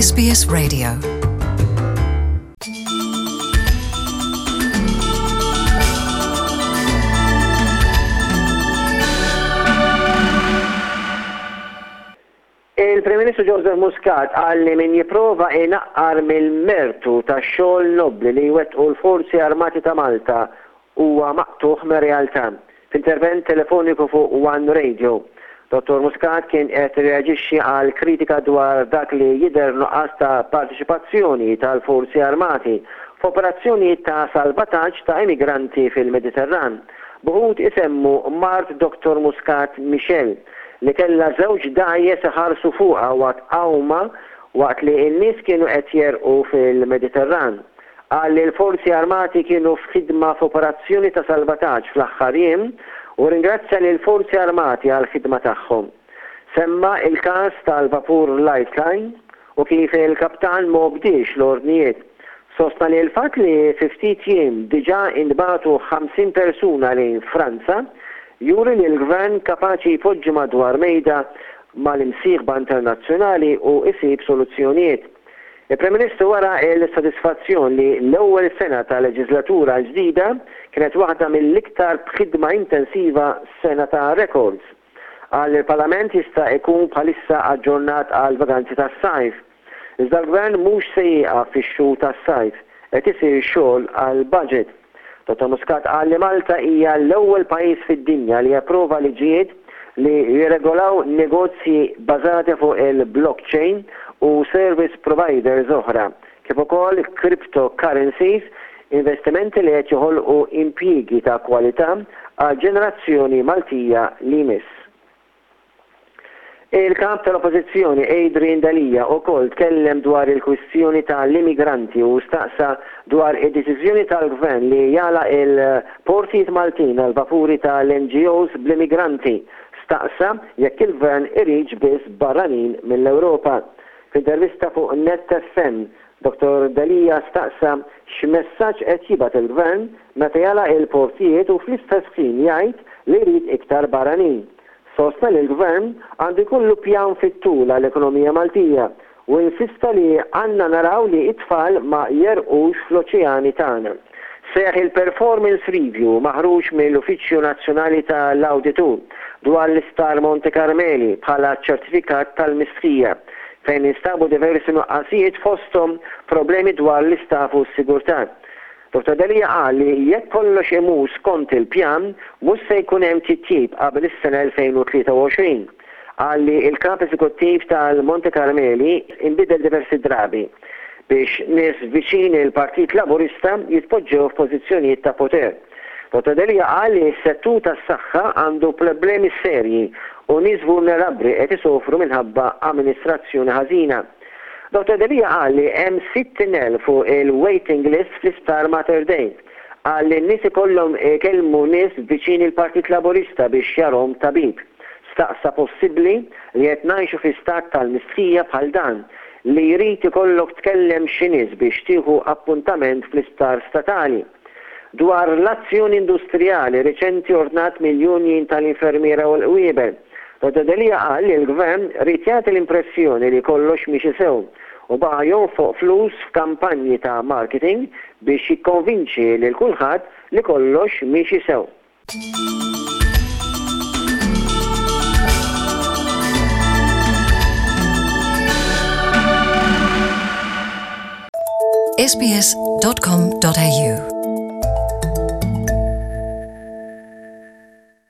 SBS Radio. Il-Prim Ministru Joseph Muscat qal li min jipprova inaqqar mill-mertu tax-xogħol nobbli li jwettqu l-Forzi Armati ta' Malta huwa maqtugħ mir-realtà. F'intervent telefoniku fuq One Radio, Dottor Muscat kien qed jirreaġixxi għal kritika dwar dak li jidher nuqqas ta' parteċipazzjoni tal-Forzi Armati f'operazzjonijiet ta' salvataġġ ta' immigranti fil-Mediterran, b'uħud isemmu mart Dottor Muscat Michelle li kellha żewġ dgħajjes iħarsu fuqha waqt għawma waqt li n-nies kienu qed jegħrqu fil-Mediterran. Qal li l-Forzi Armati kienu f'ħidma f'operazzjoni ta' salvataġġ fl-aħħar jiem u rringrazzja lill-Forzi Armati għall-ħidma tagħhom. Semma l-każ tal-vapur Lifeline u kif il-kaptan ma obdiex l-ordnijiet. Sostna li l-fatt li fi ftit jiem diġà intbagħtu 50 persuna lejn Franza juri li l-Gvern kapaċi jpoġġi madwar mejda mal-imsieħba internazzjonali u jsib soluzzjonijiet. Il-Prim Ministru wera l-sodisfazzjon li l-ewwel sena tal-leġiżlatura l-ġdida kienet waħda mill-iktar b'ħidma intensiva sena ta' rekords. Qal li l-Parlament jista' ikun bħalissa aġġornat għall-vaganzi tas-sajf. Iżda l-Gvern mhux se jieqaf fix-xhur tas-sajf, qed isir xogħol għall-budget. Dottor Muscat qal li Malta hija l-ewwel pajjiż fid-dinja li approva liġijiet li jirregolaw negozji bażati fuq il-blockchain u service providers oħra, kif ukoll cryptocurrencies, investimenti li qed joħolqu impjiegi ta' kwalità għall-ġenerazzjoni Maltija li jmiss. Il-Kap tal-Oppożizzjoni Adrian Delia ukoll tkellem dwar il-kwistjoni ta' l-immigranti u staqsa dwar id-deċiżjoni tal-Gvern li jagħlaq il-portijiet Maltin għall-vapuri ta' l-NGOs bl-immigranti. Staqsa jekk il-Gvern iridx biss barranin mill-Ewropa. F'intervista fuq Net FM, Dottor Delia staqsa x'messaġġ qed jibgħat il-Gvern meta jagħlaq il-portijiet u fl-istess ħin jgħid li jrid iktar barranin. Sostna li l-Gvern għandu jkollu pjan fit-tul għall-ekonomija Maltija u insista li għandna naraw li t-tfal ma jegħrqux fl-oċeani tagħna. Seħħ il-performance review maħruġ mill-Uffiċċju Nazzjonali ta' l-Awditur dwar l-Isptar Monte Carmeli bħala ċertifikat tal-mistħija fejn instabu diversi nuqqasijiet fosthom problemi dwar l-istaff u s-sigurtà. Dottor Delia qal li jekk kollox imur skont il-pjan mhux se jkun hemm titjib qabel is-sena 2023. Qal li l-Kap Eżekuttiv tal-Monte Carmeli inbidel diversi drabi biex nies viċin il-Partit Laburista jitpoġġew f'pożizzjonijiet ta' poter. Dottor Delia qal li s-settur tas-saħħa għandu problemi serji u nies vulnerabbli qed isofru minħabba amministrazzjoni ħażina. Dottor Delia qal li hemm 60,000 fuq il-waiting list fl-Isptar Mater Dei. Qal li n-nies ikollhom ikellmu nies viċin il-Partit Laburista biex jarhom tabib. Staqsa possibbli li qed ngħixu fi stat tal-mistħija bħal dan li jrid ikollok tkellem xi nies biex tieħu appuntament fl-isptar statali. Dwar l-azzjoni industrijali riċenti ordnat mill-union tal-infermiera u l-qwiebel, Dottor Delia qal li l-Gvern ried jagħti l-impressjoni li kollox miexi sew u baqa' jonfoq flus f'kampanji ta' marketing biex jikkonvinċi lil kulħadd li kollox miexi sew. sbs.com.au.